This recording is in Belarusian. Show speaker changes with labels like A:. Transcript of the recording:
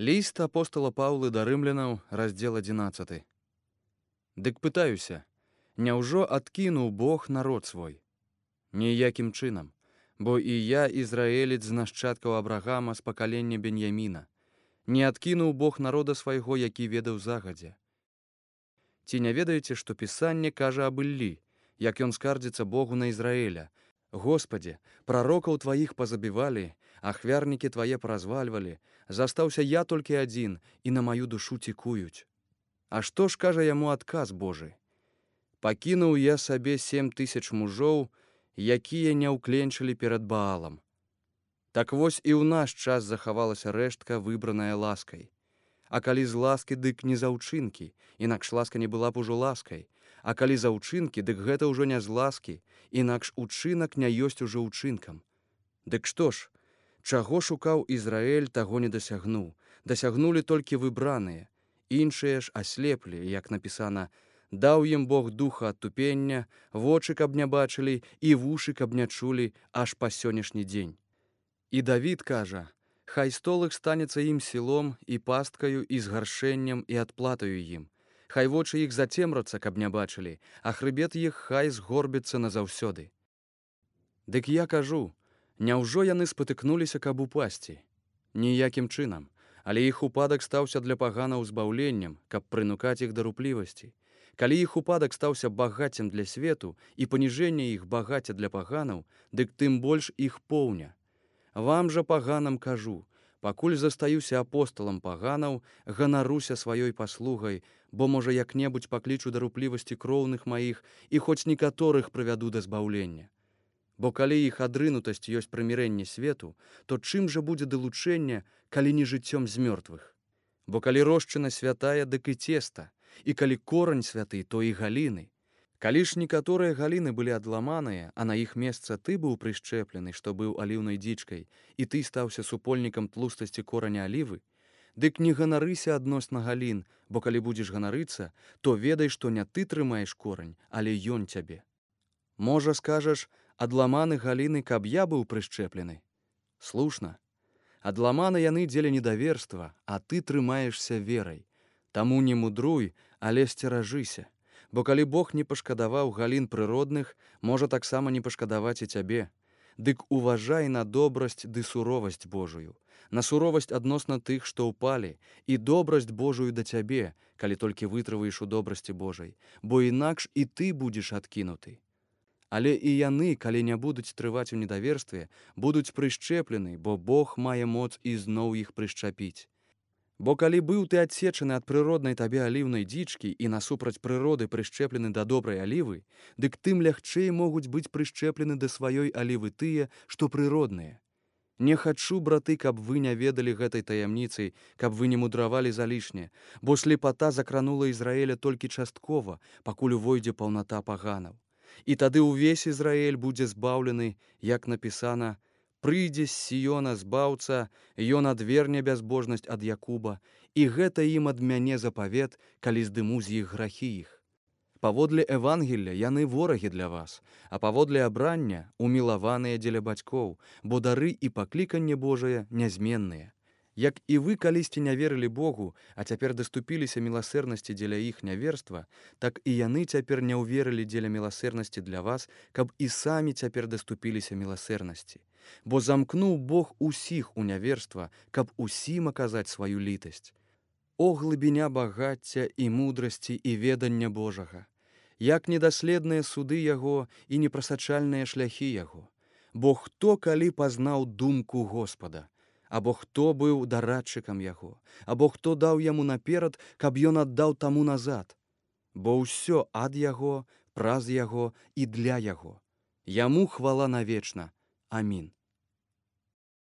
A: Ліст апостала Паўлы да рымлянаў, раздзел 11. Дык пытаюся, няўжо адкінуў Бог народ свой? Ніякім чынам, бо і я ізраэлец з нашчадкаў Абрагама з пакалення Беньяміна. Не адкінуў Бог народа свайго, які ведаў загадзя. Ці не ведаеце, што Пісанне кажа аб Іллі, як ён скардзіцца Богу на Ізраэля: «Господи, прарокаў тваіх пазабівалі, ахвярнікі твае паразвальвалі, застаўся я толькі адзін, і на маю душу цікуюць». А што ж кажа яму адказ Божы? «Пакінуў я сабе 7000 мужоў, якія не ўкленчылі перад Баалам». Так вось і ў наш час захавалася рэштка, выбраная ласкай. А калі з ласкі, дык не за ўчынкі, інакш ласка не была б ужо ласкай. А калі за ўчынкі, дык гэта ўжо не з ласкі, інакш учынак не ёсць ужо ўчынкам. Дык што ж, чаго шукаў Ізраэль, таго не дасягнуў. Дасягнулі толькі выбраныя. Іншыя ж аслеплі, як напісана: «Даў ім Бог духа адтупення, вочы, каб не бачылі, і вушы, каб не чулі, аж па сённяшні дзень». І Давід кажа: «Хай стол іх станецца ім сілом, і пасткаю, і згаршэннем, і адплатаю ім. Хай вочы іх зацемрацца, каб не бачылі, а хрыбет іх хай згорбіцца назаўсёды». Дык я кажу, няўжо яны спатыкнуліся, каб упасці? Ніякім чынам, але іх упадак стаўся для паганаў збаўленнем, каб прынукаць іх да руплівасці. Калі іх упадак стаўся багаццем для свету і паніжэнне іх багацця для паганаў, дык тым больш іх поўня. Вам жа, паганам, кажу, пакуль застаюся апосталам паганаў, ганаруся сваёй паслугай, бо, можа, як-небудзь паклічу да руплівасці кроўных маіх і хоць некаторых прывяду да збаўлення. Бо калі іх адрынутасць ёсць прымірэнне свету, то чым жа будзе далучэнне, калі не жыццём з мёртвых? Бо калі рошчына святая, дык і цеста, і калі корань святы, то і галіны. Калі ж некаторыя галіны былі адламаныя, а на іх месца ты быў прышчэплены, што быў аліўнай дзічкай, і ты стаўся супольнікам тлустасці кораня алівы, дык не ганарыся адносна галін, бо калі будзеш ганарыцца, то ведай, што не ты трымаеш корань, але ён цябе. Можа, скажаш, адламаны галіны, каб я быў прышчэплены? Слушна. Адламаны яны дзеля недаверства, а ты трымаешся верай. Таму не мудруй, але сцеражыся. Бо калі Бог не пашкадаваў галін прыродных, можа таксама не пашкадаваць і цябе. Дык уважай на добрасць ды суровасць Божую, на суровасць адносна тых, што ўпалі, і добрасць Божую да цябе, калі толькі вытрываеш у добрасці Божай, бо інакш і ты будзеш адкінуты. Але і яны, калі не будуць трываць у недаверстве, будуць прышчэплены, бо Бог мае моц ізноў іх прышчапіць. Бо калі быў ты адсечаны ад прыроднай табе аліўнай дзічкі і насупраць прыроды прышчэплены да добрай алівы, дык тым лягчэй могуць быць прышчэплены да сваёй алівы тыя, што прыродныя. Не хачу, браты, каб вы не ведалі гэтай таямніцай, каб вы не мудравалі залішне, бо слепата закранула Ізраэля толькі часткова, пакуль увойдзе паўната паганаў. І тады ўвесь Ізраэль будзе збаўлены, як напісана: «Прыйдзе з Сіёна збаўца, ён адверне бязбожнасць ад Якуба, і гэта ім ад мяне запавет, калі здыму з іх грахі іх». Паводле Евангелля яны ворагі для вас, а паводле абрання умілаваныя дзеля бацькоў, бо дары і пакліканне Божае нязменныя. Як і вы калісьці не верылі Богу, а цяпер даступіліся міласэрнасці дзеля іх няверства, так і яны цяпер не ўверылі дзеля міласэрнасці для вас, каб і самі цяпер даступіліся міласэрнасці. Бо замкнуў Бог усіх у няверства, каб усім аказаць сваю літасць. О глыбіня багацця і мудрасці і ведання Божага! Як недаследныя суды яго і непрасачальныя шляхі яго! Бо хто калі пазнаў думку Господа? Або хто быў дарадчыкам яго, або хто даў яму наперад, каб ён аддаў таму назад? Бо ўсё ад яго, праз яго і для яго. Яму хвала навечна. Амін.